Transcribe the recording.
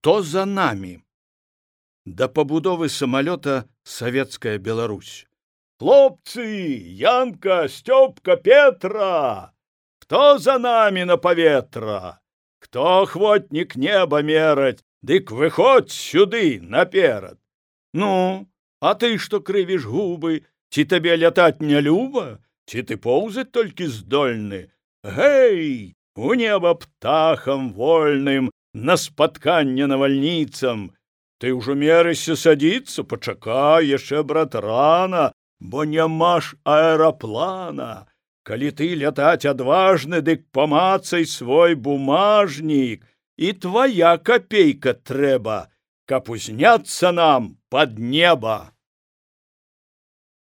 Хто за намі? Да пабудовы самалёта Савецкая Беларусь. Хлопцы, Янка, Стёпка, Петра! Кто за нами на паветра? Кто охвотник неба мераць, дык выходь сюды наперад. Ну, а ты што крывіш губы? Ці табе лятаць не люба? Ці ты поўзаць толькі здольны? Гэй, у неба птахам вольным, на спатканне навальніцам. Ты ўжо мерыся садіцца, пачакай, яшчэ, брат, рана, бо няма ж аэраплана. Калі ты лятаць адважны, дык памацай свой бумажнік, і твая капейка трэба, каб узняцца нам пад неба.